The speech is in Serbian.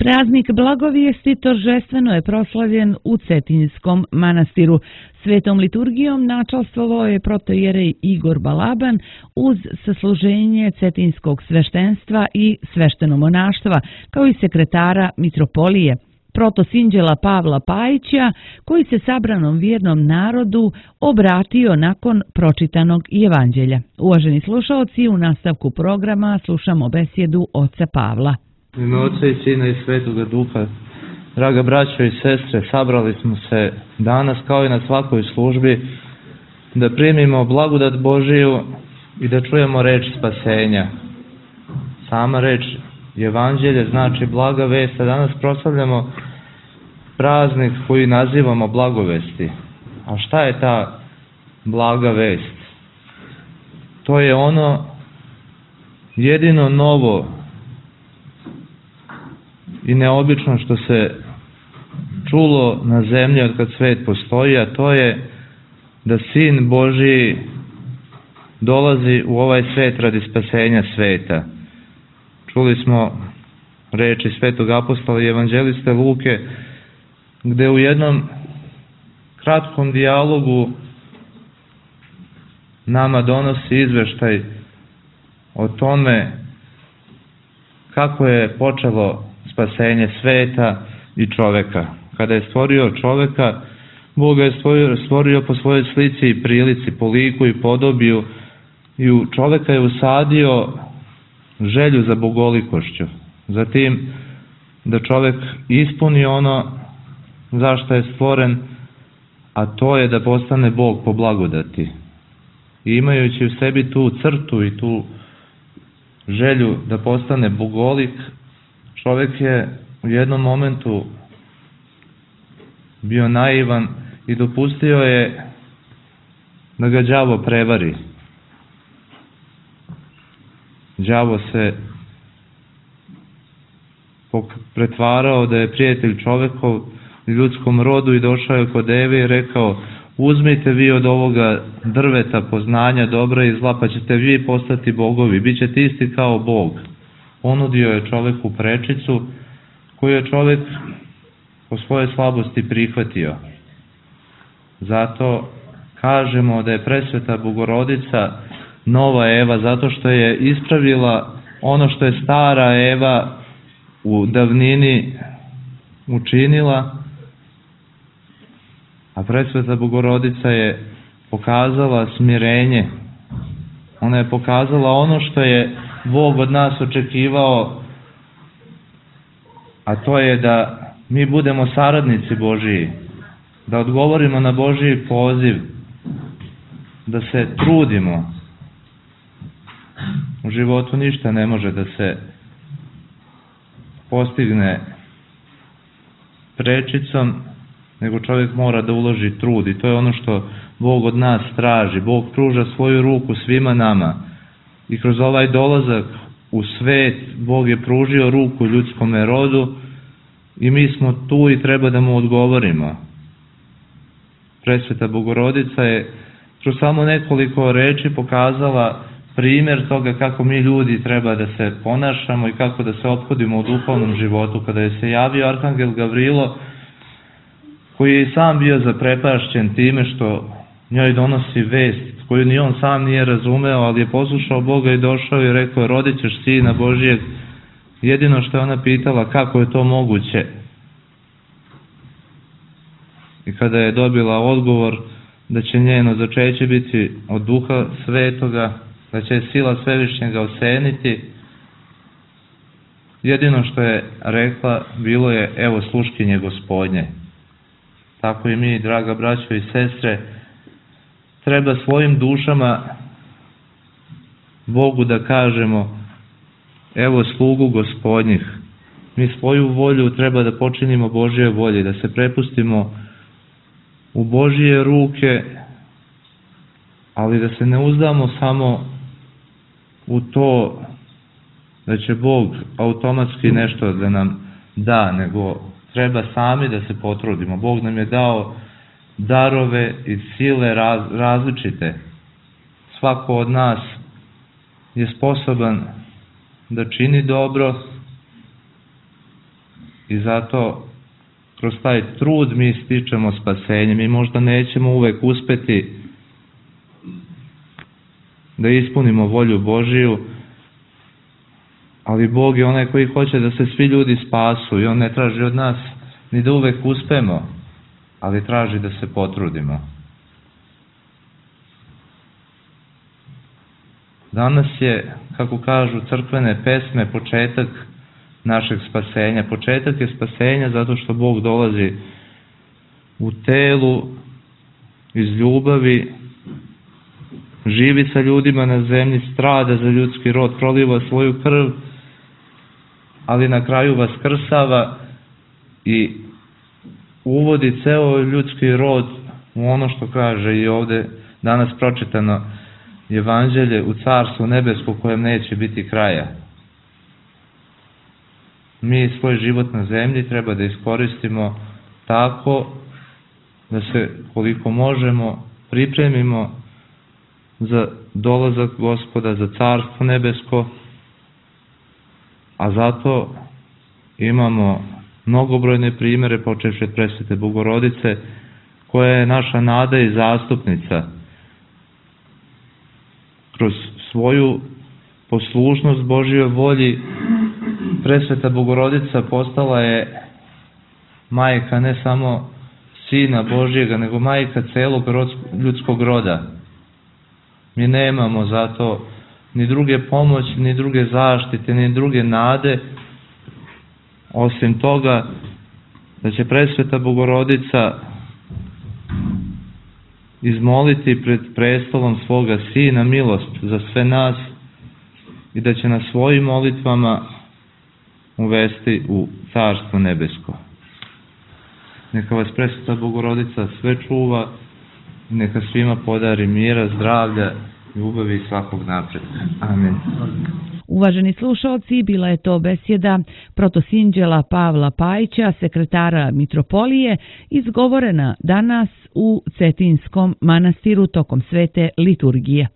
Praznik Blagovijesti торжествено je proslavljen u Cetinjskom manastiru. Svetom liturgijom načalstvovao je protoijerej Igor Balaban uz sasluženje Cetinjskog sveštenstva i sveštenomonaštva, kao i sekretara mitropolije, protosinđela Pavla Pajića, koji se sabranom vjernom narodu obratio nakon pročitanog evanđelja. Uvaženi slušaoci, u nastavku programa slušamo besjedu oca Pavla. U ime Oca i Sina i Svetoga Duha, draga braćo i sestre, sabrali smo se danas kao i na svakoj službi da primimo blagodat Božiju i da čujemo reč spasenja. Sama reč evanđelje znači blaga vest, a danas proslavljamo praznik koji nazivamo blagovesti. A šta je ta blaga vest? To je ono jedino novo i neobično što se čulo na zemlji od kad svet postoji, a to je da Sin Božiji dolazi u ovaj svet radi spasenja sveta. Čuli smo reči svetog apostola i evanđeliste Luke, gde u jednom kratkom dijalogu nama donosi izveštaj o tome kako je počelo spasenje sveta i čoveka. Kada je stvorio čoveka, Bog ga je stvorio po svojoj slici i prilici, po liku i podobiju, i u čoveka je usadio želju za bogolikošću. Zatim da čovek ispuni ono zašto je stvoren, a to je da postane Bog po blagodati. I imajući u sebi tu crtu i tu želju da postane bogolik, čovek je u jednom momentu bio naivan i dopustio je da ga đavo prevari. Đavo se pretvarao da je prijatelj čovekov ljudskom rodu i došao je kod Eve i rekao: uzmite vi od ovoga drveta poznanja dobra i zla, pa ćete vi postati bogovi, bit ćete isti kao Bog. Ponudio je čoveku prečicu koju je čovek po svojoj slabosti prihvatio. Zato kažemo da je presveta Bogorodica nova Eva, zato što je ispravila ono što je stara Eva u davnini učinila, a presveta Bogorodica je pokazala smirenje. Ona je pokazala ono što je Bog od nas očekivao, a to je da mi budemo saradnici Božiji, da odgovorimo na Božiji poziv, da se trudimo. U životu ništa ne može da se postigne prečicom, nego čovjek mora da uloži trud, i to je ono što Bog od nas traži. Bog pruža svoju ruku svima nama i kroz ovaj dolazak u svet Bog je pružio ruku ljudskome rodu i mi smo tu i treba da mu odgovorimo. Presveta Bogorodica je kroz samo nekoliko reči pokazala primjer toga kako mi ljudi treba da se ponašamo i kako da se ophodimo u duhovnom životu. Kada je se javio Arhangel Gavrilo, koji je i sam bio zaprepašćen time što njoj donosi vest koju ni on sam nije razumeo, ali je poslušao Boga i došao i rekao: rodit ćeš Sina Božijeg. Jedino što je ona pitala: kako je to moguće? I kada je dobila odgovor da će njeno začeće biti od Duha Svetoga, da će sila Svevišnjega oseniti, jedino što je rekla bilo je: evo sluškinje Gospodnje. Tako i mi, draga braćo i sestre, treba svojim dušama Bogu da kažemo: evo slugu Gospodnjih. Mi svoju volju treba da počinimo Božje volje, da se prepustimo u Božje ruke, ali da se ne uzdamo samo u to da će Bog automatski nešto da nam da, nego treba sami da se potrudimo. Bog nam je dao darove i sile različite. Svako od nas je sposoban da čini dobro i zato kroz taj trud mi stičemo spasenje. Mi možda nećemo uvek uspeti da ispunimo volju Božiju, ali Bog je onaj koji hoće da se svi ljudi spasu i On ne traži od nas ni da uvek uspemo, ali traži da se potrudimo. Danas je, kako kažu crkvene pesme, početak našeg spasenja. Početak je spasenja zato što Bog dolazi u telu, iz ljubavi, živi sa ljudima na zemlji, strada za ljudski rod, proliva svoju krv, ali na kraju vaskrsava i uvodi ceo ljudski rod u ono što kaže i ovde danas pročitano Evanđelje, u Carstvu nebesko kojem neće biti kraja. Mi svoj život na zemlji treba da iskoristimo tako da se koliko možemo pripremimo za dolazak Gospoda, za Carstvo nebesko, a zato imamo mnogobrojne primere, počevši od presvete Bogorodice, koja je naša nada i zastupnica. Kroz svoju poslušnost Božjoj volji, presveta Bogorodica postala je majka ne samo Sina Božjega, nego majka celog ljudskog roda. Mi nemamo zato ni druge pomoći, ni druge zaštite, ni druge nade, osim toga da će presveta Bogorodica izmoliti pred prestolom svoga Sina milost za sve nas i da će na svojim molitvama uvesti u Carstvo nebesko. Neka vas presveta Bogorodica sve čuva i neka svima podari mira, zdravlja, ljubavi i svakog napretka. Amen. Uvaženi slušalci, bila je to besjeda protosinđela Pavla Pajića, sekretara Mitropolije, izgovorena danas u Cetinskom manastiru tokom svete liturgije.